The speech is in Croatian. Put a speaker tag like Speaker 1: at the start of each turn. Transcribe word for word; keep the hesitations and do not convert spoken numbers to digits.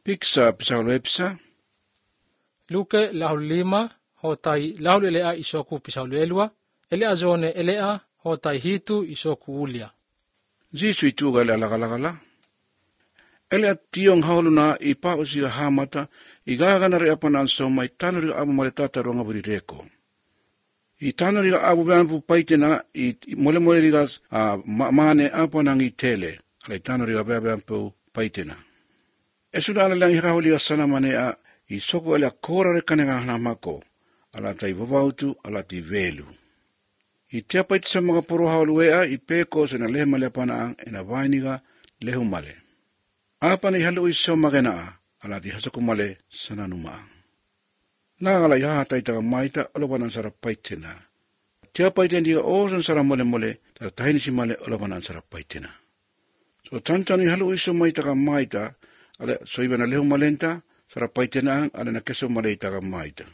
Speaker 1: Piksa pisau lepsa.
Speaker 2: Luke lahu lima hotai lahu elea isoku pisau lelua. Elea zone elea hotai hitu isoku ulia.
Speaker 1: Zisu ituga ele alagalagala. Elea tiong hauluna i pausi hamata i gagana rea panan soma i tanuri abu maletata ronga buri reko. I tanuri abu bambu paitena i mole mole rigas a mane apanang i tele. Ala i tanuri abu bambu paitena. E suda ala lang hikahuli asana manea i soko elea kora rekanenga hanamako. Ala tai vavautu ala ti velu. I tea paiti sa mga poro hauluea i peko se na lehe male apanaang e na vainiga lehu male. Apana i halu i so magena ala ti hasaku male sananumaang. Nangala i haha taitaga maita olopanan sara paitena. Tea paiti ndiga osan sara mole mole tara tahinisi male olopanan sara paitena. So tantanu i halu i so maitaga maita ala so ibana lehu malenta sara paitena ala na keso male itaga maita.